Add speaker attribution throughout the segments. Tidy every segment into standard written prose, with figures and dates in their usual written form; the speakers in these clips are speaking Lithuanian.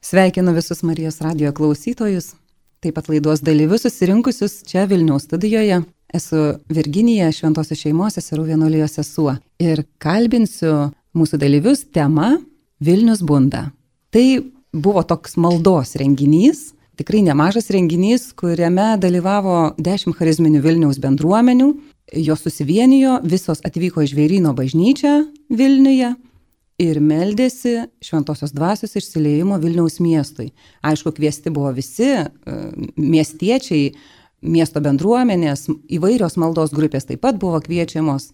Speaker 1: Sveikinu visus Marijos radijo klausytojus, taip pat laidos dalyvius susirinkusius čia Vilniaus studijoje. Esu Virginija, Šventosios šeimos seserų vienuolijos sesuo ir kalbinsiu mūsų dalyvius tema Vilnius bunda. Tai buvo toks maldos renginys, tikrai nemažas renginys, kuriame dalyvavo 10 charizminių Vilniaus bendruomenių. Jos susivienijo, visos atvyko į Žvėryno bažnyčią Vilniuje ir meldėsi Šventosios dvasios išsiliejimo Vilniaus miestui. Aišku, kviesti buvo visi miestiečiai, miesto bendruomenės, įvairios maldos grupės taip pat buvo kviečiamos.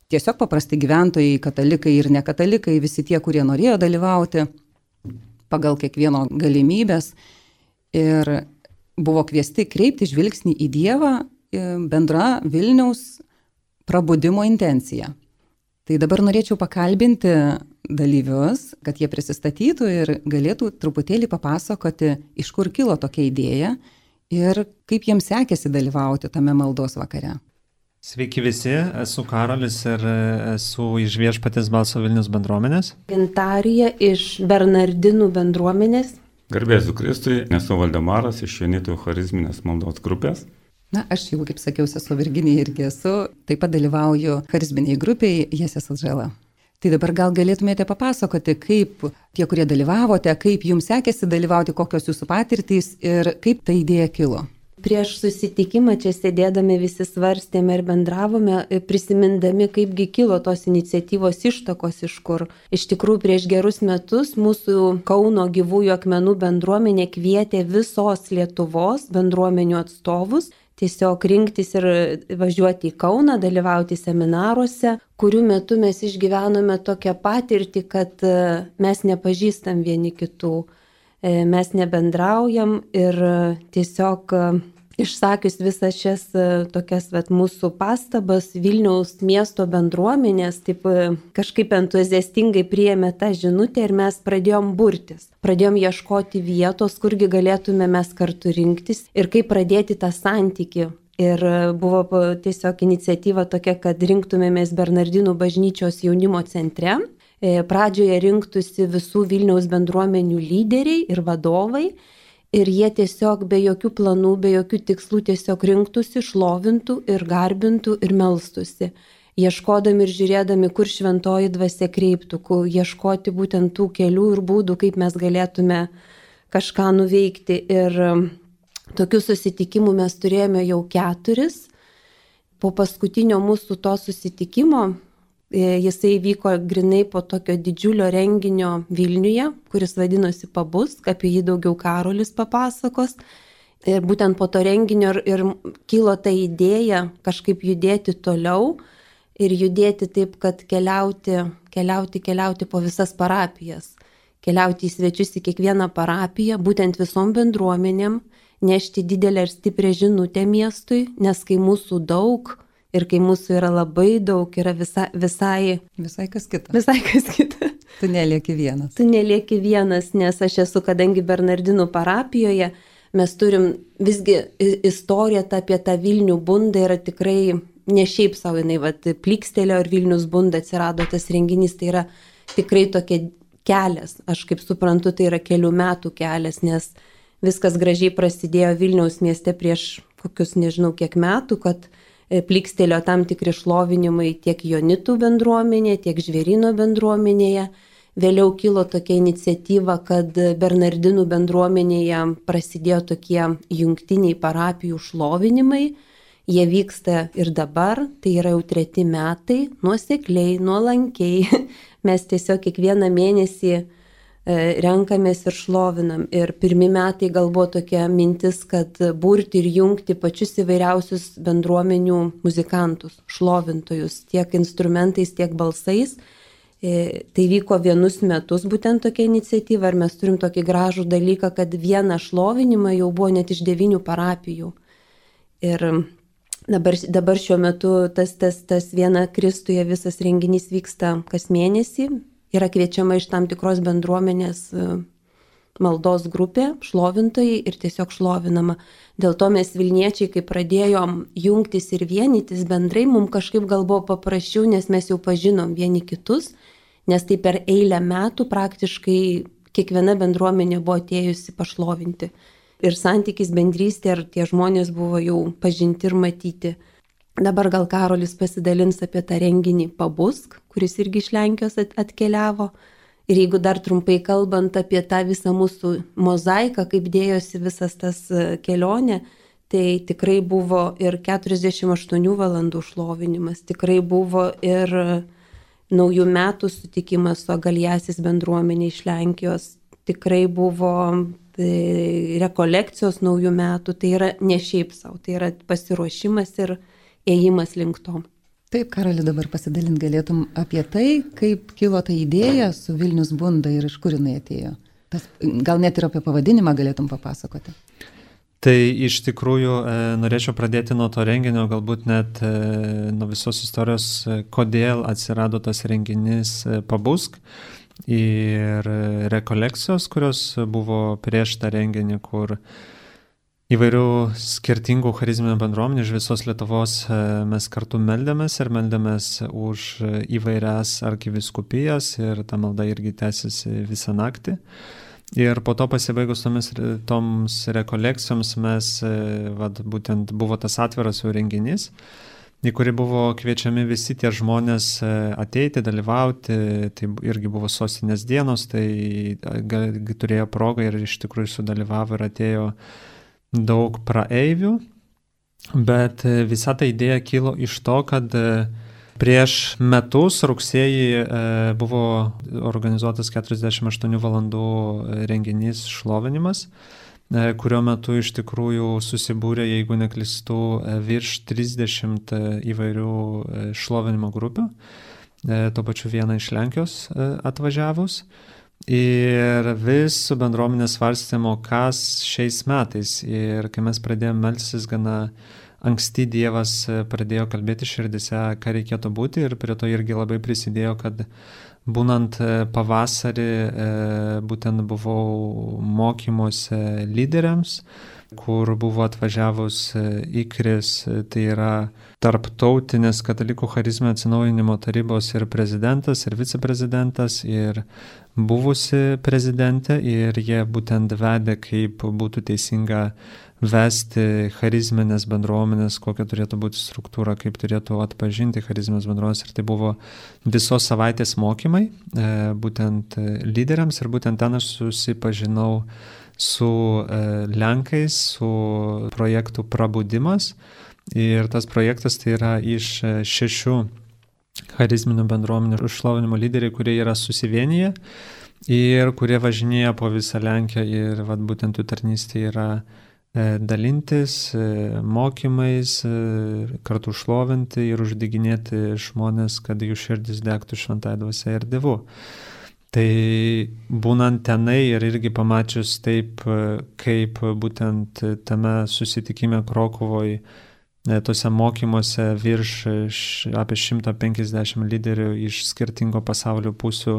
Speaker 1: Tiesiog paprasti gyventojai, katalikai ir nekatalikai, visi tie, kurie norėjo dalyvauti pagal kiekvieno galimybės. Ir buvo kviesti kreipti žvilgsnį į Dievą bendra Vilniaus prabudimo intencija. Tai dabar norėčiau pakalbinti dalyvius, kad jie prisistatytų ir galėtų truputėlį papasakoti, iš kur kilo tokia idėja ir kaip jiems sekėsi dalyvauti tame maldos vakare.
Speaker 2: Sveiki visi, esu Karolis ir esu iš Viešpaties balso Vilnius bendruomenės.
Speaker 3: Gintarija iš Bernardinų bendruomenės.
Speaker 4: Garbėsiu Kristui, esu Valdemaras iš Jonitų charizminės maldos grupės.
Speaker 1: Na, aš jau, kaip sakiau, esu Virginija irgi esu, taip pat dalyvauju charizminiai grupiai Jesės Atžala. Tai dabar gal galėtumėte papasakoti, kaip tie, kurie dalyvavote, kaip jums sekėsi dalyvauti, kokios jūsų patirtys ir kaip ta idėja kilo.
Speaker 3: Prieš susitikimą čia sėdėdami visi svarstėme ir bendravome, prisimindami, kaipgi kilo tos iniciatyvos ištakos iš kur. Iš tikrųjų, prieš gerus metus mūsų Kauno gyvųjų akmenų bendruomenė kvietė visos Lietuvos bendruomenių atstovus tiesiog rinktis ir važiuoti į Kauną, dalyvauti seminaruose, kurių metu mes išgyvenome tokią patirtį, kad mes nepažįstam vieni kitų, mes nebendraujam ir tiesiog išsakius visas šias tokias mūsų pastabas, Vilniaus miesto bendruomenės taip kažkaip entuziastingai priėmė tą žinutę ir mes pradėjom burtis. Pradėjom ieškoti vietos, kurgi galėtume mes kartu rinktis ir kaip pradėti tą santykį. Ir buvo tiesiog iniciatyva tokia, kad rinktumėmės Bernardinų bažnyčios jaunimo centre. Pradžioje rinktųsi visų Vilniaus bendruomenių lyderiai ir vadovai. Ir jie tiesiog be jokių planų, be jokių tikslų tiesiog rinktųsi, šlovintų ir garbintų ir melstųsi. Ieškodami ir žiūrėdami, kur šventoji dvasia kreiptų, ieškoti būtent tų kelių ir būdų, kaip mes galėtume kažką nuveikti. Ir tokių susitikimų mes turėjome jau 4. Po paskutinio mūsų to susitikimo, jisai vyko grinai po tokio didžiulio renginio Vilniuje, kuris vadinosi Pabus, apie jį daugiau Karolis papasakos. Ir būtent po to renginio ir kilo ta idėja kažkaip judėti toliau ir judėti taip, kad keliauti po visas parapijas. Keliauti į svečius į kiekvieną parapiją, būtent visom bendruomenėm, nešti didelę ir stiprią žinutę miestui, nes kai mūsų daug, ir kai mūsų yra labai daug, yra visai
Speaker 1: kas kita.
Speaker 3: Visai kas kita.
Speaker 1: Tu nelieki vienas.
Speaker 3: Tu nelieki vienas, nes aš esu, kadangi Bernardinų parapijoje, mes turim visgi istoriją apie tą Vilnių bundą yra tikrai ne šiaip savo, jinai plykstelio ir Vilnius bunda atsirado tas renginys, tai yra tikrai tokia kelias. Aš kaip suprantu, tai yra kelių metų kelias, nes viskas gražiai prasidėjo Vilniaus mieste prieš kokius nežinau kiek metų, kad plykstelio tam tikri šlovinimai tiek Jonitų bendruomenėje, tiek Žvėryno bendruomenėje. Vėliau kilo tokia iniciatyva, kad Bernardinų bendruomenėje prasidėjo tokie jungtiniai parapijų šlovinimai. Jie vyksta ir dabar, tai yra jau 3 metai, nuosekliai, nuolankiai. Mes tiesiog kiekvieną mėnesį renkamės ir šlovinam. Ir 1 metai gal buvo tokia mintis, kad burti ir jungti pačius įvairiausius bendruomenių muzikantus, šlovintojus, tiek instrumentais, tiek balsais. Tai vyko 1 metus būtent tokia iniciatyva ir mes turim tokį gražų dalyką, kad vieną šlovinimą jau buvo net iš 9 parapijų. Ir dabar šiuo metu tas viena Kristuje visas renginys vyksta kas mėnesį. Yra kviečiama iš tam tikros bendruomenės maldos grupė, šlovintojai ir tiesiog šlovinama. Dėl to mes Vilniečiai, kai pradėjom jungtis ir vienytis bendrai, mums kažkaip gal buvo paprasčiau, nes mes jau pažinom vieni kitus, nes tai per eilę metų praktiškai kiekviena bendruomenė buvo atėjusi pašlovinti. Ir santykis bendrystė, ir tie žmonės buvo jau pažinti ir matyti. Dabar gal Karolis pasidalins apie tą renginį Pabusk, kuris irgi iš Lenkijos atkeliavo. Ir jeigu dar trumpai kalbant apie tą visą mūsų mozaiką, kaip dėjosi visas tas kelionė, tai tikrai buvo ir 48 valandų šlovinimas, tikrai buvo ir naujų metų sutikimas su Agaliasis bendruomenė iš Lenkijos, tikrai buvo rekolekcijos naujų metų, tai yra ne šiaip savo, tai yra pasiruošimas ir ėjimas link to.
Speaker 1: Taip, Karoli, dabar pasidalint galėtum apie tai, kaip kilo ta idėja su Vilnius Bunda ir iš kur jinai atėjo. Gal net ir apie pavadinimą galėtum papasakoti.
Speaker 2: Tai iš tikrųjų norėčiau pradėti nuo to renginio, galbūt net nuo visos istorijos, kodėl atsirado tas renginys Pabusk ir rekolekcijos, kurios buvo prieš tą renginį, kur įvairių skirtingų charizminių bendruomenių iš visos Lietuvos mes kartu meldėmės ir meldėmės už įvairias arkivyskupijas ir ta malda irgi tęsiasi visą naktį. Ir po to pasibaigus toms rekolekcijoms mes, būtent buvo tas atviras jau renginys, į kurį buvo kviečiami visi tie žmonės ateiti, dalyvauti, tai irgi buvo sostinės dienos, tai turėjo progą ir iš tikrųjų sudalyvavo ir atėjo daug praeivių, bet visa ta idėja kilo iš to, kad prieš metus rugsėjį buvo organizuotas 48 valandų renginys šlovinimas, kurio metu iš tikrųjų susibūrė, jeigu neklystu, virš 30 įvairių šlovinimo grupių, tuo pačiu vieną iš Lenkijos atvažiavus. Ir vis su bendruomenė svarstėme, kas šiais metais. Ir kai mes pradėjome melstis gana anksti, Dievas pradėjo kalbėti širdise, ką reikėtų būti, ir prie to irgi labai prisidėjo, kad būnant pavasarį būtent buvau mokymuose lyderiams, kur buvo atvažiavus IKRIS, tai yra Tarptautinės katalikų charizminio atsinaujinimo tarybos ir prezidentas, ir viceprezidentas, ir buvusi prezidentė, ir jie būtent vedė, kaip būtų teisinga vesti charizminės bendruomenės, kokia turėtų būti struktūra, kaip turėtų atpažinti charizminės bendruomenės. Ir tai buvo visos savaitės mokymai, būtent lyderiams, ir būtent ten aš susipažinau su Lenkais, su projektu Prabudimas. Ir tas projektas tai yra iš 6 charizminių bendruomenių šlovinimo lyderiai, kurie yra susivienyje ir kurie važinėja po visą Lenkiją, ir būtent jų tarnystė yra dalintis mokymais, kartu šlovinti ir uždeginėti žmonės, kad jų širdis degtų šventąja dvasia ir Dievu. Tai būnant tenai ir irgi pamačius taip, kaip būtent tame susitikime Krokuvoje, tose mokymuose virš apie 150 lyderių iš skirtingo pasaulio pusių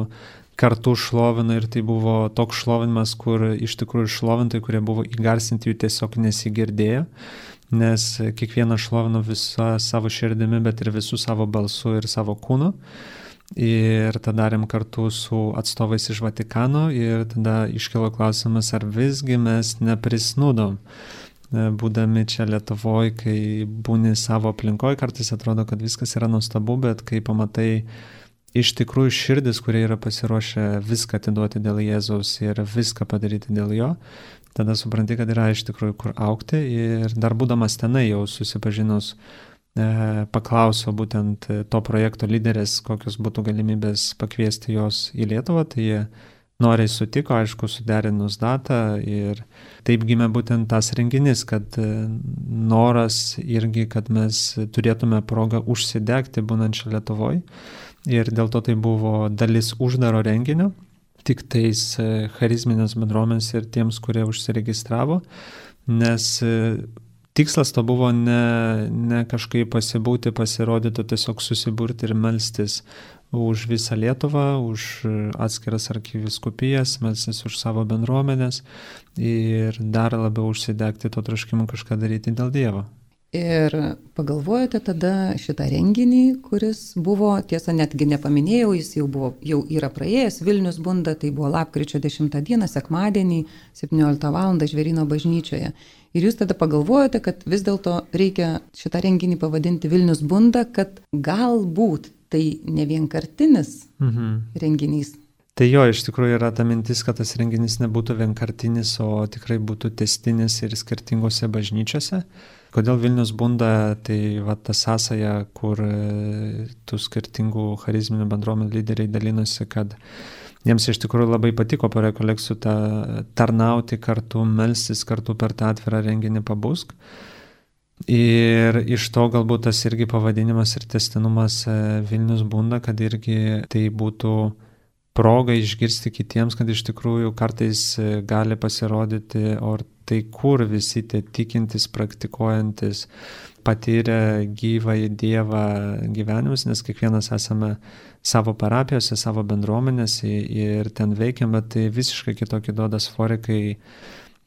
Speaker 2: kartu šlovino, ir tai buvo toks šlovinimas, kur iš tikrųjų šlovintai, kurie buvo įgarsinti, jų tiesiog nesigirdėjo, nes kiekvienas šlovino visą savo širdimi, bet ir visų savo balsu ir savo kūnu. Ir tada darėm kartu su atstovais iš Vatikano, ir tada iškilo klausimas, ar visgi mes neprisnūdom. Būdami čia Lietuvoje, kai būni savo aplinkoje, kartais atrodo, kad viskas yra nuostabu, bet kai pamatai iš tikrųjų širdis, kurie yra pasiruošę viską atiduoti dėl Jėzaus ir viską padaryti dėl jo, tada supranti, kad yra iš tikrųjų kur augti. Ir dar būdamas tenai jau susipažinus, paklausiau būtent to projekto lyderės, kokios būtų galimybės pakviesti jos į Lietuvą, tai jie noriai sutiko, aišku, suderinus datą, ir taip gimė būtent tas renginys, kad noras irgi, kad mes turėtume progą užsidegti būnant čia Lietuvoje, ir dėl to tai buvo dalis uždaro renginio, tik tais charizminės bendruomenės ir tiems, kurie užsiregistravo, nes tikslas to buvo ne kažkaip pasibūti, pasirodyti, tiesiog susiburti ir melstis už visą Lietuvą, už atskiras arkivyskupijas, melstis už savo bendruomenės ir dar labiau užsidegti to troškimu kažką daryti dėl Dievo.
Speaker 1: Ir pagalvojote tada šitą renginį, kuris buvo, tiesa, netgi nepaminėjau, jis jau yra praėjęs, Vilnius bunda, tai buvo lapkričio 10 dieną, sekmadienį, 17 val. Žvėryno bažnyčioje. Ir jūs tada pagalvojote, kad vis dėlto reikia šitą renginį pavadinti Vilnius bunda, kad galbūt tai ne vienkartinis renginys.
Speaker 2: Tai jo, iš tikrųjų yra ta mintis, kad tas renginys nebūtų vienkartinis, o tikrai būtų tęstinis ir skirtingose bažnyčiose. Kodėl Vilnius bunda, tai va ta sąsaja, kur tų skirtingų charizminių bendruomenių lyderiai dalinosi, kad jiems iš tikrųjų labai patiko po rekolekcijų tarnauti kartu, melstis kartu per tą atvirą renginį Pabusk. Ir iš to galbūt tas irgi pavadinimas ir tęstinumas Vilnius bunda, kad irgi tai būtų proga išgirsti kitiems, kad iš tikrųjų kartais gali pasirodyti, o tai kur visi tie tikintis, praktikuojantis, patyrę gyvąjį Dievą gyvenimus, nes kiekvienas esame savo parapijose, savo bendruomenėse ir ten veikiam, bet tai visiškai kitokį duoda svorį, kai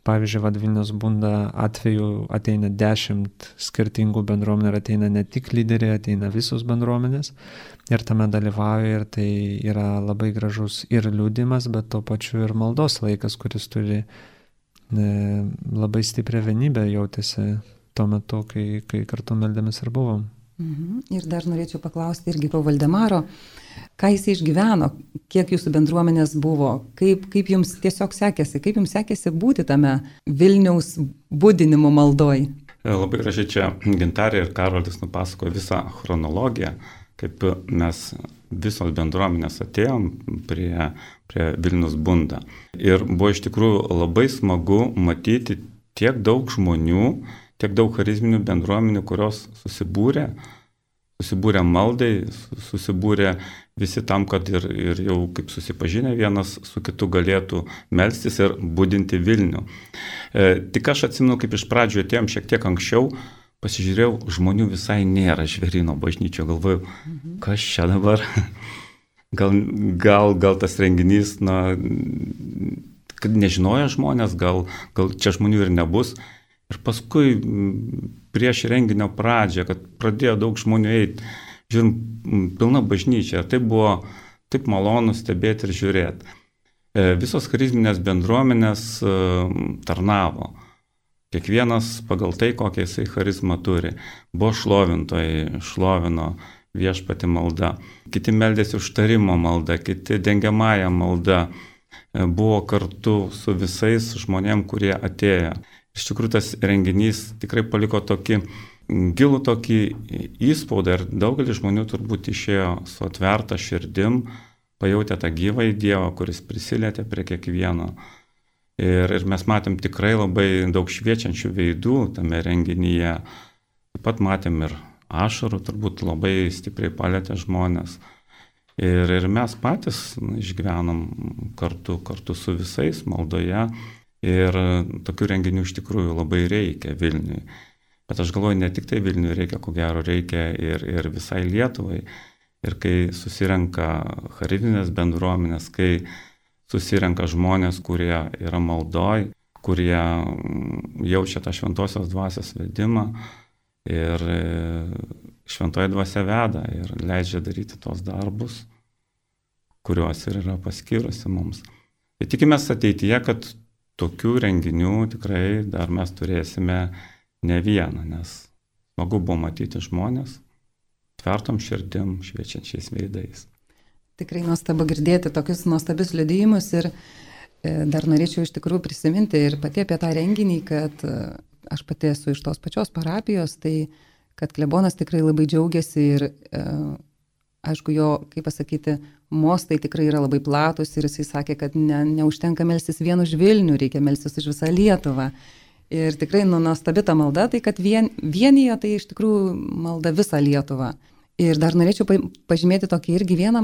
Speaker 2: pavyzdžiui, Vilnius bunda atveju ateina 10 skirtingų bendruomenių ir ateina ne tik lyderiai, ateina visos bendruomenės ir tame dalyvauja ir tai yra labai gražus ir liudimas, bet tuo pačiu ir maldos laikas, kuris turi labai stiprią vienybę jautėsi tuo metu, kai kartu meldėmės ir buvom.
Speaker 1: Ir dar norėčiau paklausti irgi po Valdemaro, ką jis išgyveno, kiek jūsų bendruomenės buvo, kaip jums tiesiog sekėsi, kaip jums sekėsi būti tame Vilniaus budinimo maldoj.
Speaker 4: Labai gražiai čia Gintarė ir Karolis nupasakojo visą chronologiją, kaip mes visos bendruomenės atėjom prie Vilnius bunda. Ir buvo iš tikrųjų labai smagu matyti tiek daug žmonių, tiek daug charizminių bendruomenių, kurios susibūrė maldai, susibūrė visi tam, kad ir jau kaip susipažinę vienas su kitu galėtų melstis ir budinti Vilnių. Tik aš atsimenu, kaip iš pradžių atėjom šiek tiek anksčiau, pasižiūrėjau, žmonių visai nėra Žvėryno bažnyčio, galvojau, kas čia dabar? Gal tas renginys, kad nežinojo žmonės, gal čia žmonių ir nebus. Ir paskui prieš renginio pradžią, kad pradėjo daug žmonių eiti, žiūrim, pilna bažnyčia. Ir tai buvo taip malonu stebėti ir žiūrėti. Visos charizminės bendruomenės tarnavo. Kiekvienas pagal tai, kokią jisai charizmą turi. Buvo šlovintojai, šlovino viešpatį malda. Kiti meldėsi užtarimo malda, kiti dengiamąją malda. Buvo kartu su visais žmonėm, kurie atėjo. Iš tikrųjų, tas renginys tikrai paliko tokį gilų tokį įspaudą ir daugelis žmonių turbūt išėjo su atverta širdim, pajautė tą gyvąjį Dievą, kuris prisilietė prie kiekvieno. Ir mes matėm tikrai labai daug šviečiančių veidų tame renginyje. Taip pat matėm ir ašarų, turbūt labai stipriai palėtė žmonės. Ir mes patys išgyvenom kartu su visais maldoje. Ir tokių renginių iš tikrųjų labai reikia Vilniui. Bet aš galvoju, ne tik tai Vilniui reikia, ko gero reikia ir visai Lietuvai. Ir kai susirenka charizminės bendruomenės, kai susirenka žmonės, kurie yra maldoj, kurie jaučia tą šventosios dvasios vedimą ir šventoji dvasia veda ir leidžia daryti tos darbus, kuriuos ir yra paskyrusi mums. Ir tikimės ateityje, kad tokių renginių tikrai dar mes turėsime ne vieną, nes smagu buvo matyti žmonės tvertom širdim, šviečiančiais veidais.
Speaker 1: Tikrai nuostabu girdėti tokius nuostabius liudijimus ir dar norėčiau iš tikrųjų prisiminti ir pati apie tą renginį, kad aš pati esu iš tos pačios parapijos, tai kad klebonas tikrai labai džiaugiasi ir aišku, jo, kaip pasakyti, mostai tikrai yra labai platus ir jisai sakė, kad neužtenka melstis vien už Vilnių, reikia melstis už visą Lietuvą. Ir tikrai nuostabi ta malda, tai kad vienyje tai iš tikrųjų malda visą Lietuvą. Ir dar norėčiau pažymėti tokį irgi vieną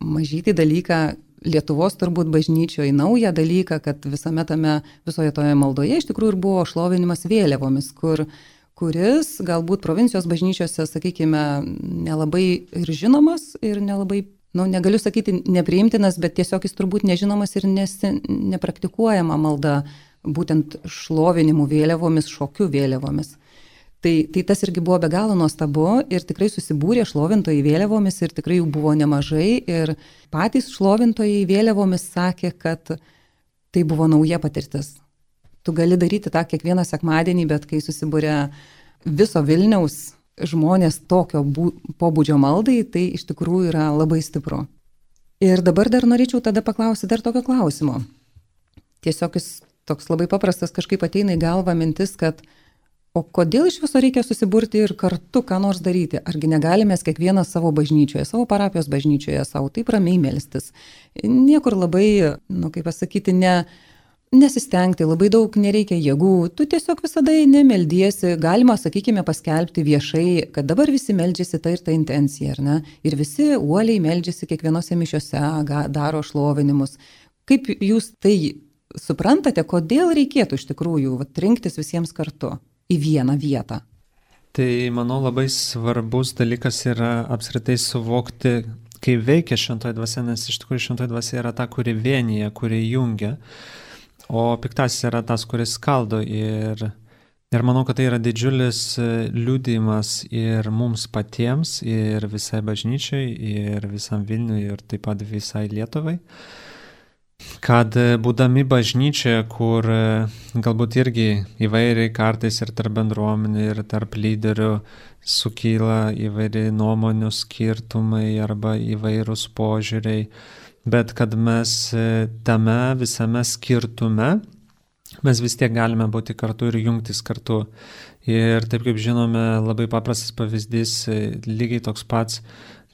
Speaker 1: mažytį dalyką, Lietuvos turbūt bažnyčioje naują dalyką, kad visoje toje maldoje iš tikrųjų ir buvo šlovinimas vėliavomis, kuris galbūt provincijos bažnyčiose, sakykime, nelabai ir žinomas ir nelabai, negaliu sakyti nepriimtinas, bet tiesiog jis turbūt nežinomas ir nepraktikuojama malda būtent šlovinimų vėliavomis, šokių vėliavomis. Tai tas irgi buvo be galo nuostabu ir tikrai susibūrė šlovintojai vėliavomis ir tikrai jų buvo nemažai ir patys šlovintojai vėliavomis sakė, kad tai buvo nauja patirtis. Tu gali daryti tą kiekvieną sekmadienį, bet kai susibūrė viso Vilniaus žmonės tokio pobūdžio maldai, tai iš tikrųjų yra labai stipru. Ir dabar dar norėčiau tada paklausyti dar tokio klausimo. Tiesiog jis toks labai paprastas, kažkaip ateina į galvą mintis, kad o kodėl iš viso reikia susiburti ir kartu ką nors daryti? Argi negalime kiekvienas savo bažnyčioje, savo parapijos bažnyčioje, savo taip ramiai melstis? Niekur labai, kaip pasakyti, nesistengti, labai daug nereikia jėgų. Tu tiesiog visada nemeldiesi, galima, sakykime, paskelbti viešai, kad dabar visi meldžiasi ta ir ta intencija, ar ne? Ir visi uoliai meldžiasi kiekvienose mišiose, daro šlovinimus. Kaip jūs tai suprantate, kodėl reikėtų iš tikrųjų rinktis visiems kartu į vieną vietą?
Speaker 2: Tai, manau, labai svarbus dalykas yra apskritai suvokti, kaip veikia šventoji dvasia, nes iš tikrųjų šventoji dvasia yra ta, kuri vienyje, kuri jungia, o piktasis yra tas, kuris skaldo. Ir manau, kad tai yra didžiulis liudijimas ir mums patiems, ir visai bažnyčiai, ir visam Vilniui, ir taip pat visai Lietuvai. Kad būdami bažnyčioje, kur galbūt irgi įvairiai kartais ir tarp bendruomenių, ir tarp lyderių sukyla įvairiai nuomonių skirtumai arba įvairūs požiūriai, bet kad mes tame visame skirtume, mes vis tiek galime būti kartu ir jungtis kartu. Ir taip kaip žinome, labai paprastas pavyzdys, lygiai toks pats,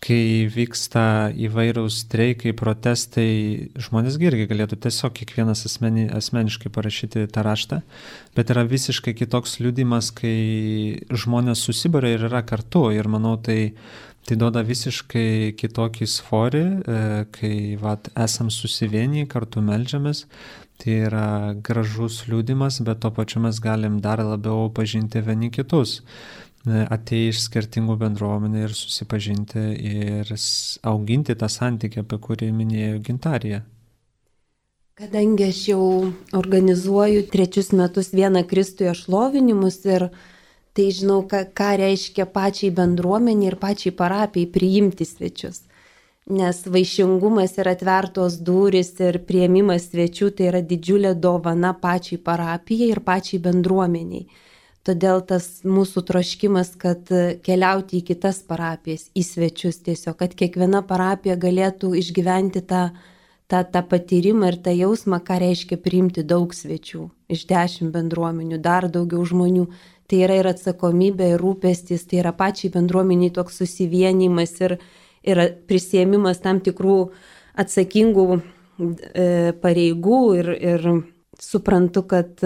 Speaker 2: kai vyksta įvairūs streikai, protestai, žmonės irgi galėtų tiesiog kiekvienas asmeniškai parašyti tą raštą, bet yra visiškai kitoks liudijimas, kai žmonės susibūria ir yra kartu. Ir manau, tai duoda visiškai kitokį svorį, kai esam susivieniję, kartu meldžiamės. Tai yra gražus liudijimas, bet tuo pačiu mes galim dar labiau pažinti vieni kitus. Atėję iš skirtingų bendruomenių ir susipažinti ir auginti tą santykį, apie kurį minėjo Gintarija.
Speaker 3: Kadangi aš jau organizuoju 3 metus vieną Kristuje šlovinimus ir tai žinau, ką reiškia pačiai bendruomeniai ir pačiai parapijai priimti svečius. Nes vaišingumas ir atvertos durys ir priėmimas svečių tai yra didžiulė dovana pačiai parapijai ir pačiai bendruomeniai. Todėl tas mūsų troškimas, kad keliauti į kitas parapijas, į svečius tiesiog, kad kiekviena parapija galėtų išgyventi tą patyrimą ir tą jausmą, ką reiškia priimti daug svečių iš 10 bendruomenių, dar daugiau žmonių. Tai yra ir atsakomybė, ir rūpestis, tai yra pačiai bendruomeniai toks susivienimas ir prisiėmimas tam tikrų atsakingų pareigų ir suprantu, kad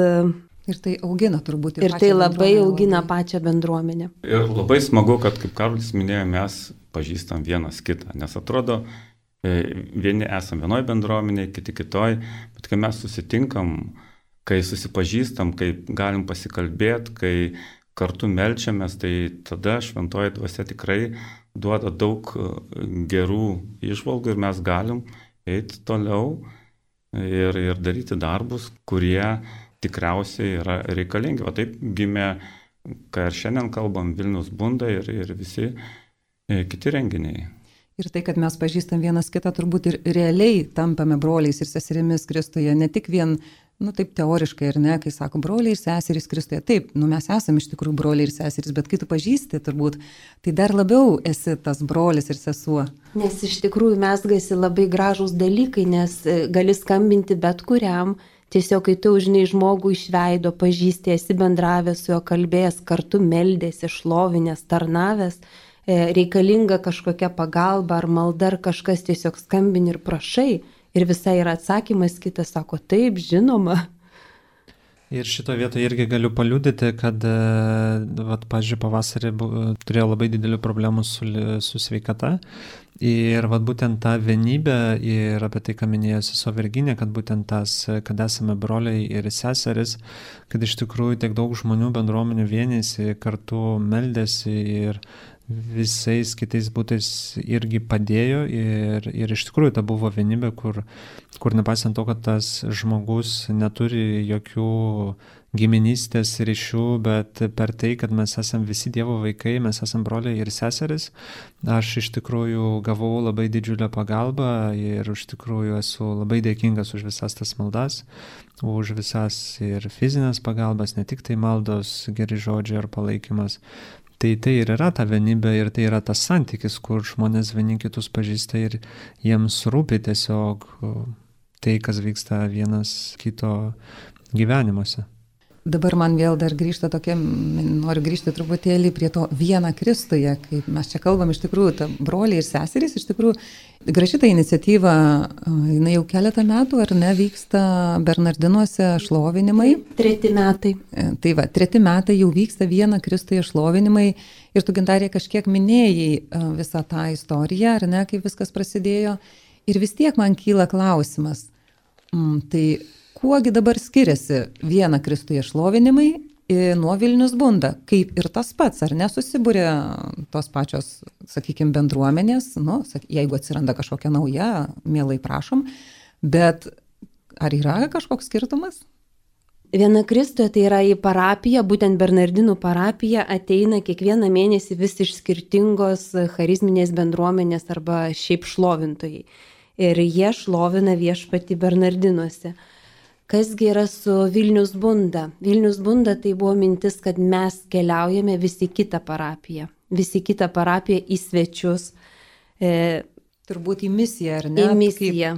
Speaker 1: ir tai augina turbūt
Speaker 3: ir tai labai augina pačią bendruomenę.
Speaker 4: Ir labai smagu, kad, kaip Karolis minėjo, mes pažįstam vienas kitą, nes atrodo, vieni esam vienoj bendruomenėje, kiti kitoj, bet kai mes susitinkam, kai susipažįstam, kai galim pasikalbėti, kai kartu melčiamės, tai tada šventoji dvasia tikrai duoda daug gerų įžvalgų ir mes galim eiti toliau ir daryti darbus, kurie tikriausiai yra reikalingi. O taip gimė, ką ir šiandien kalbam, Vilniaus bunda ir visi kiti renginiai.
Speaker 1: Ir tai, kad mes pažįstam vienas kitą, turbūt ir realiai tampame broliais ir seserimis Kristuje, ne tik vien, taip teoriškai, ar ne, kai sako broliai ir seserys Kristuje. Taip, mes esame iš tikrųjų broliai ir seserys, bet kai tu pažįsti, turbūt, tai dar labiau esi tas brolis ir sesuo.
Speaker 3: Nes iš tikrųjų mesgasi labai gražūs dalykai, nes gali skambinti bet kuriam. Tiesiog, kai tu žinai žmogų iš veido, pažįsti, esi bendravęs su juo, kalbėjęs, kartu meldėsi, šlovinęs, tarnavęs, reikalinga kažkokia pagalba ar malda ar kažkas, tiesiog skambini ir prašai. Ir visai yra atsakymas, kitas sako, taip, žinoma.
Speaker 2: Ir šito vietoje irgi galiu paliudyti, kad, pavyzdžiui, pavasarį turėjau labai didelių problemų su sveikata. Ir būtent ta vienybė ir apie tai, ką minėjo sesuo Virginija, kad būtent tas, kad esame broliai ir seseris, kad iš tikrųjų tiek daug žmonių bendruomenių vienėsi, kartu meldėsi ir visais kitais būtais irgi padėjo ir iš tikrųjų ta buvo vienybė, kur nepaisant to, kad tas žmogus neturi jokių giminystės ryšių, bet per tai, kad mes esame visi Dievo vaikai, mes esame broliai ir seseris, aš iš tikrųjų gavau labai didžiulę pagalbą ir iš tikrųjų esu labai dėkingas už visas tas maldas, už visas ir fizinės pagalbas, ne tik tai maldos, geri žodžiai ar palaikymas. Tai ir yra ta vienybė ir tai yra tas santykis, kur žmonės vieni kitus pažįsta ir jiems rūpi tiesiog tai, kas vyksta vienas kito gyvenimuose.
Speaker 1: Dabar man vėl dar grįžta tokia, noriu grįžti truputėlį prie to vieną Kristuje, kaip mes čia kalbam iš tikrųjų, ta broliai ir seserys, iš tikrųjų, graži ta iniciatyva, jinai jau keletą metų, ar ne, vyksta Bernardinuose šlovinimai.
Speaker 3: 3 metai.
Speaker 1: Tai va, 3 metai jau vyksta vieną Kristuje šlovinimai ir tu, Gintarė, kažkiek minėjai visą tą istoriją, ar ne, kaip viskas prasidėjo. Ir vis tiek man kyla klausimas, tai kuogi dabar skiriasi vieną Kristuje šlovinimai nuo Vilnius bunda, kaip ir tas pats, ar nesusibūrė tos pačios, sakykime, bendruomenės, jeigu atsiranda kažkokia nauja, mielai prašom, bet ar yra kažkoks skirtumas?
Speaker 3: Viena Kristuje tai yra į parapiją, būtent Bernardinų parapiją ateina kiekvieną mėnesį vis iš skirtingos charizminės bendruomenės arba šiaip šlovintojai. Ir jie šlovina viešpatį Bernardinuose. Kasgi yra su Vilnius bunda? Vilnius bunda tai buvo mintis, kad mes keliaujame visi kitą parapiją į svečius.
Speaker 1: Turbūt į misiją, ar ne?
Speaker 3: Į misiją.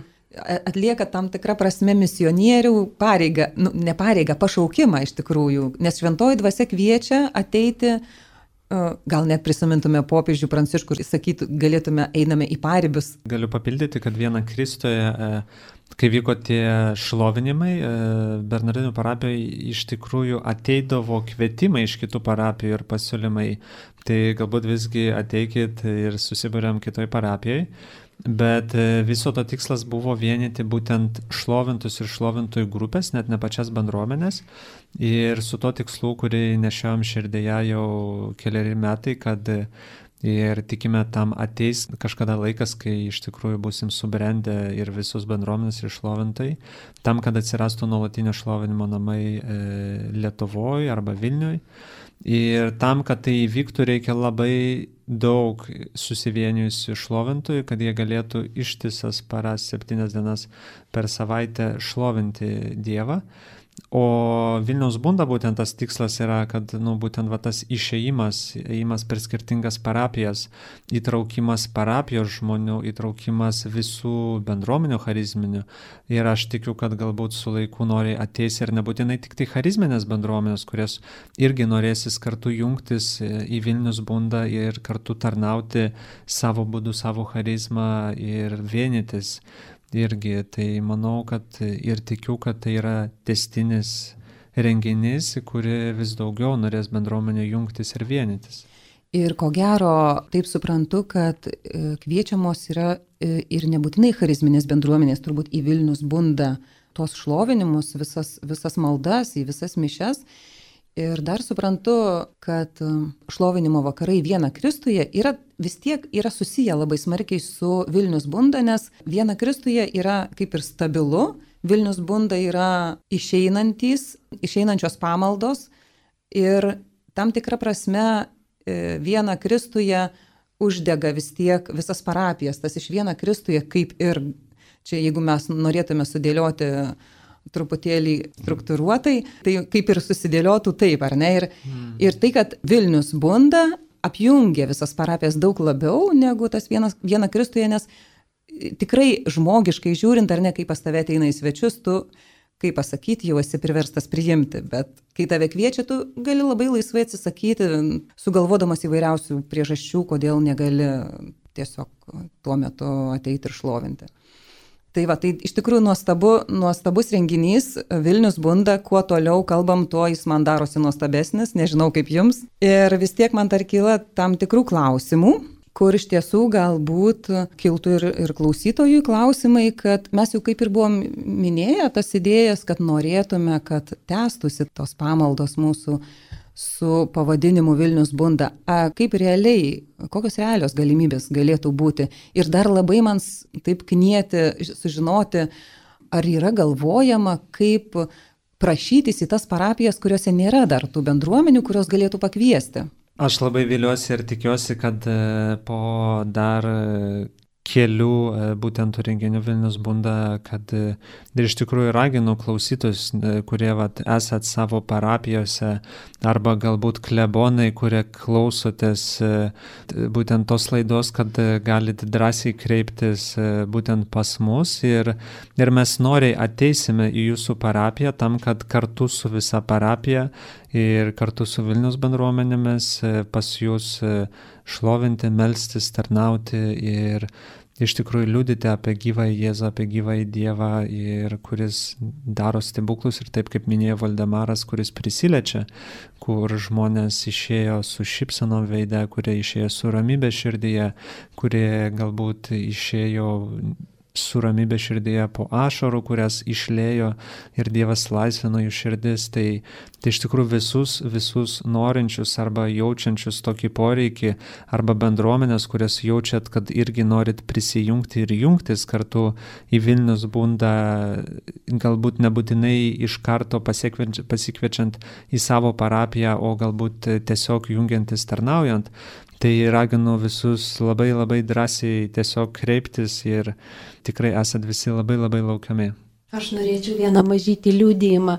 Speaker 1: Atlieka tam tikrą prasme misionierių pareigą, ne pareigą, pašaukimą iš tikrųjų, nes šventoji dvasia kviečia ateiti, gal net prisimintume popiežių Pranciškų, sakytų, galėtume einame į paribius.
Speaker 2: Galiu papildyti, kad vieną Kristuje, kai vyko tie šlovinimai, Bernardinų parapijoje iš tikrųjų ateidavo kvietimai iš kitų parapijų ir pasiūlymai. Tai galbūt visgi ateikit ir susibūrėm kitoj parapijoje. Bet viso to tikslas buvo vienyti būtent šlovintus ir šlovintojų grupės, net ne pačias bendruomenės. Ir su to tikslu, kurį nešiojom širdėje jau keliari metai, kad ir tikime tam ateis kažkada laikas, kai iš tikrųjų busim subrendę ir visus bendruomenės ir šlovintojai, tam, kad atsirastų nuolatinio šlovinimo namai Lietuvoje arba Vilniuje. Ir tam, kad tai įvyktų, reikia labai daug susivienijusių šlovintojų, kad jie galėtų ištisas paras 7 dienas per savaitę šlovinti Dievą. O Vilniaus bunda būtent tas tikslas yra, kad būtent tas ėjimas per skirtingas parapijas, įtraukimas parapijos žmonių, įtraukimas visų bendruomenių charizminių. Ir aš tikiu, kad galbūt su laiku nori ateis ir nebūtinai tik tai charizminės bendruomenės, kurios irgi norėsis kartu jungtis į Vilnius bundą ir kartu tarnauti savo būdu, savo charizmą ir vienytis. Irgi, tai manau, kad ir tikiu, kad tai yra tęstinis renginys, į kurį vis daugiau norės bendruomenė jungtis ir vienytis.
Speaker 1: Ir ko gero, taip suprantu, kad kviečiamos yra ir nebūtinai charizminės bendruomenės, turbūt į Vilnius bundą tos šlovinimus, visas maldas, į visas mišias. Ir dar suprantu, kad šlovinimo vakarai vieną Kristuje vis tiek yra susiję labai smarkiai su Vilnius bunda, nes viena Kristuje yra kaip ir stabilu, Vilnius bunda yra išeinančios pamaldos ir tam tikra prasme viena Kristuje uždega vis tiek visas parapijas, tas iš viena Kristuje kaip ir, čia jeigu mes norėtume sudėlioti truputėlį struktūruotai, tai kaip ir susidėliotų taip, ar ne? Ir tai, kad Vilnius bunda apjungia visas parapijas daug labiau negu tas viena Kristuje, nes tikrai žmogiškai žiūrint, ar ne, kai pas tave ateina į svečius, tu, kaip pasakyti, jau esi priverstas priimti, bet kai tave kviečia, tu gali labai laisvai atsisakyti, sugalvodamas įvairiausių priežasčių, kodėl negali tiesiog tuo metu ateiti ir šlovinti. Tai va, tai iš tikrųjų nuostabus renginys, Vilnius bunda, kuo toliau kalbam, tuo jis man darosi nuostabesnis, nežinau kaip jums. Ir vis tiek man dar kyla tam tikrų klausimų, kur iš tiesų galbūt kiltų ir klausytojų klausimai, kad mes jau kaip ir buvom minėję tas idėjas, kad norėtume, kad tęstųsi tos pamaldos mūsų su pavadinimu Vilnius bunda. Kaip realiai, kokios realios galimybės galėtų būti? Ir dar labai man taip knieti sužinoti, ar yra galvojama, kaip prašytis į tas parapijas, kuriuose nėra dar tų bendruomenių, kurios galėtų pakviesti.
Speaker 2: Aš labai viliuosi ir tikiuosi, kad po dar kelių būtent renginių Vilnius bunda, kad ir iš tikrųjų raginu klausytus, kurie esat savo parapijose arba galbūt klebonai, kurie klausotės būtent tos laidos, kad galite drąsiai kreiptis būtent pas mus ir mes noriai ateisime į jūsų parapiją tam, kad kartu su visa parapija ir kartu su Vilnius bendruomenėmis pas jūs šlovinti, melstis, tarnauti ir iš tikrųjų liudyti apie gyvąjį Jėzų, apie gyvąjį Dievą, ir kuris daro stebuklus ir taip kaip minėjo Valdemaras, kuris prisiliečia, kur žmonės išėjo su šypsenom veide, kurie išėjo su ramybė širdyje, kurie galbūt išėjo su ramybė širdyje po ašarų, kurias išlėjo ir Dievas laisvino jų širdis. Tai iš tikrųjų visus norinčius arba jaučiančius tokį poreikį arba bendruomenės, kurias jaučiat, kad irgi norit prisijungti ir jungtis kartu į Vilnius bundą, galbūt nebūtinai iš karto pasikviečiant į savo parapiją, o galbūt tiesiog jungiantis tarnaujant. Tai raginu visus labai labai drąsiai tiesiog kreiptis ir tikrai esat visi labai labai laukiami.
Speaker 3: Aš norėčiau vieną mažytį liudijimą,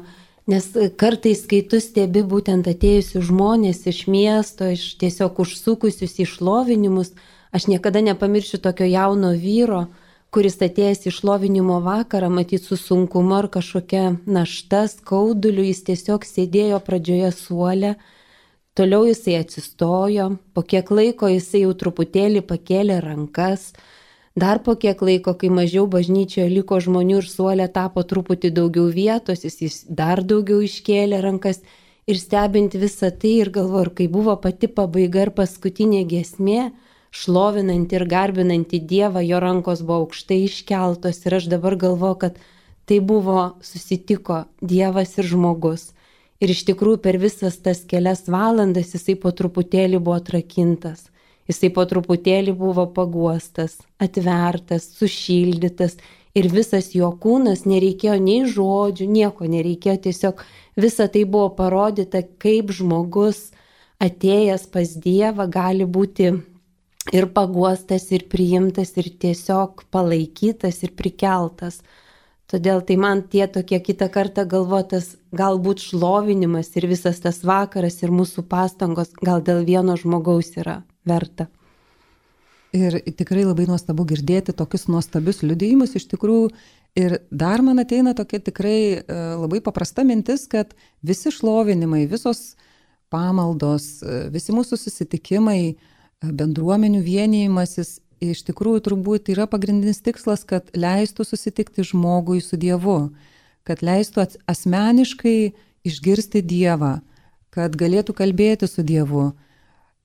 Speaker 3: nes kartais, kai tu stebi būtent atėjusius žmonės iš miesto, iš tiesiog užsukusius į šlovinimus, aš niekada nepamiršiu tokio jauno vyro, kuris atėjęs į šlovinimo vakarą, matyt su sunkumu ar kažkokia našta, skauduliu, jis tiesiog sėdėjo pradžioje suole. Toliau jisai atsistojo, po kiek laiko jisai jau truputėlį pakėlė rankas, dar po kiek laiko, kai mažiau bažnyčioje liko žmonių ir suolė tapo truputį daugiau vietos, jis dar daugiau iškėlė rankas ir stebint visą tai ir galvoju, kai buvo pati pabaiga ir paskutinė giesmė, šlovinanti ir garbinanti Dievą, jo rankos buvo aukštai iškeltos ir aš dabar galvoju, kad tai buvo susitiko Dievas ir žmogus. Ir iš tikrųjų per visas tas kelias valandas jisai po truputėlį buvo atrakintas, jisai po truputėlį buvo paguostas, atvertas, sušildytas ir visas jo kūnas, nereikėjo nei žodžių, nieko nereikėjo, tiesiog visa tai buvo parodyta, kaip žmogus atėjęs pas Dievą gali būti ir paguostas, ir priimtas, ir tiesiog palaikytas, ir prikeltas. Todėl tai man tie tokie kitą kartą galvotas galbūt šlovinimas ir visas tas vakaras ir mūsų pastangos gal dėl vieno žmogaus yra verta.
Speaker 1: Ir tikrai labai nuostabu girdėti tokius nuostabius liudijimus iš tikrųjų. Ir dar man ateina tokia tikrai labai paprasta mintis, kad visi šlovinimai, visos pamaldos, visi mūsų susitikimai, bendruomenių vienijimasis, iš tikrųjų turbūt yra pagrindinis tikslas, kad leistų susitikti žmogui su Dievu, kad leistų asmeniškai išgirsti Dievą, kad galėtų kalbėti su Dievu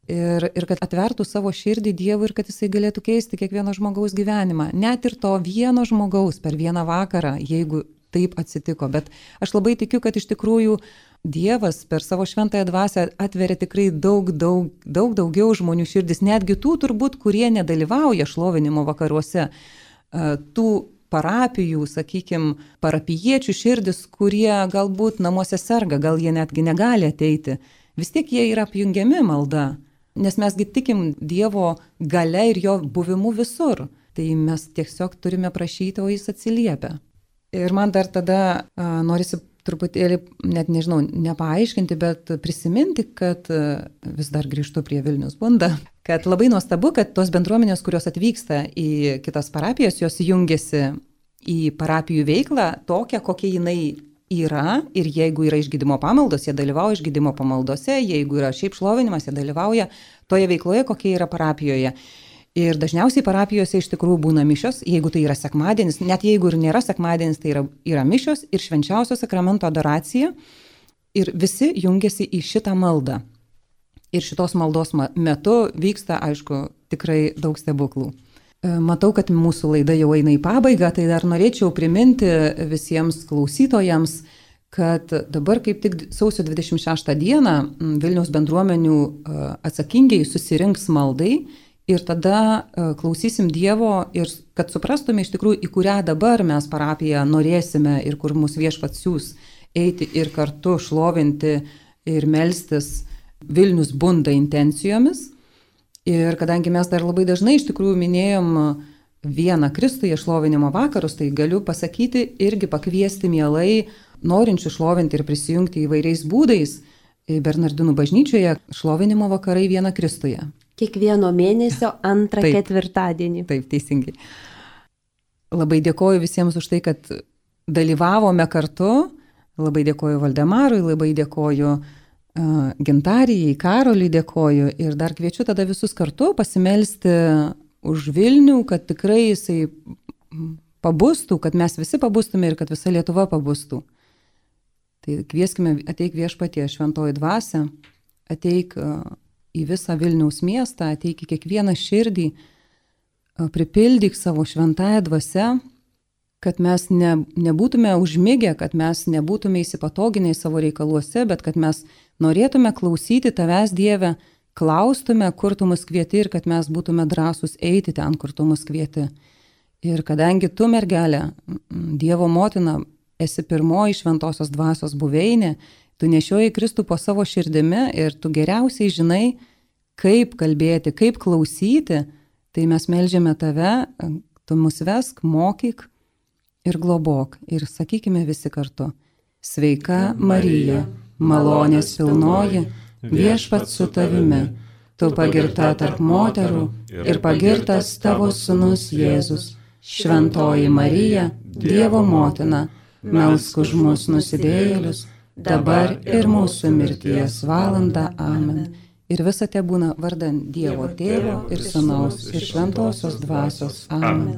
Speaker 1: ir kad atvertų savo širdį Dievui ir kad jisai galėtų keisti kiekvieno žmogaus gyvenimą. Net ir to vieno žmogaus per vieną vakarą, jeigu taip atsitiko. Bet aš labai tikiu, kad iš tikrųjų Dievas per savo šventąją dvasią atveria tikrai daug daugiau žmonių širdis, netgi tų turbūt, kurie nedalyvauja šlovinimo vakaruose, tų parapijų, sakykime, parapijiečių širdis, kurie galbūt namuose serga, gal jie netgi negali ateiti. Vis tiek jie yra apjungiami malda, nes mesgi tikim Dievo galia ir jo buvimu visur. Tai mes tiesiog turime prašyti, o jis atsiliepia. Ir man dar tada norisi truputėlį, net nežinau, nepaaiškinti, bet prisiminti, kad vis dar grįžtu prie Vilnius bundą, kad labai nuostabu, kad tos bendruomenės, kurios atvyksta į kitas parapijas, jos jungiasi į parapijų veiklą tokią, kokia jinai yra, ir jeigu yra išgydymo pamaldos, jie dalyvauja išgydymo pamaldose, jeigu yra šiaip šlovinimas, jie dalyvauja toje veikloje, kokia yra parapijoje. Ir dažniausiai parapijose iš tikrųjų būna mišios, jeigu tai yra sekmadienis, net jeigu ir nėra sekmadienis, tai yra mišios ir švenčiausio sakramento adoracija. Ir visi jungiasi į šitą maldą. Ir šitos maldos metu vyksta, aišku, tikrai daug stebuklų. Matau, kad mūsų laida jau eina į pabaigą, tai dar norėčiau priminti visiems klausytojams, kad dabar kaip tik sausio 26 dieną Vilniaus bendruomenių atsakingiai susirinks maldai. Ir tada klausysim Dievo ir kad suprastume iš tikrųjų, į kurią dabar mes parapiją norėsime ir kur mūsų viešpats siūs eiti ir kartu šlovinti ir melstis Vilnius bunda intencijomis. Ir kadangi mes dar labai dažnai iš tikrųjų minėjom vieną Kristuje šlovinimo vakarus, tai galiu pasakyti irgi pakviesti mielai norinčių šlovinti ir prisijungti įvairiais būdais Bernardinų bažnyčioje šlovinimo vakarai vieną Kristuje.
Speaker 3: Kiekvieno mėnesio antrą ketvirtadienį.
Speaker 1: Taip, teisingai. Labai dėkoju visiems už tai, kad dalyvavome kartu. Labai dėkoju Valdemarui, labai dėkoju Gintarijai, Karoliui dėkoju. Ir dar kviečiu tada visus kartu pasimelsti už Vilnių, kad tikrai jisai pabustų, kad mes visi pabustume ir kad visa Lietuva pabustų. Tai kvieskime, ateik Viešpatie, šventoji dvasia, ateik į visą Vilniaus miestą, ateik į kiekvieną širdį, pripildyk savo šventąją dvasią, kad mes nebūtume užmigę, kad mes nebūtume įsipatoginę savo reikaluose, bet kad mes norėtume klausyti tavęs, Dieve, klaustume, kur tu mus kvieti ir kad mes būtume drąsūs eiti ten, kur tu mus kvieti. Ir kadangi tu, mergelė, Dievo motina, esi pirmoji šventosios dvasios buveinė, tu nešioji Kristų po savo širdimi ir tu geriausiai žinai, kaip kalbėti, kaip klausyti, tai mes melžiame tave, tu mus vesk, mokyk ir globok. Ir sakykime visi kartu. Sveika Marija, malonės pilnoji, Viešpats su tavimi, tu pagirta tarp moterų ir pagirtas tavo sūnus Jėzus. Šventoji Marija, Dievo motina, melsk už mus nusidėjėlius, dabar ir mūsų mirties valandą. Amen. Ir visa te būna vardan Dievo Tėvo ir Sūnaus ir Šventosios Dvasios. Amen.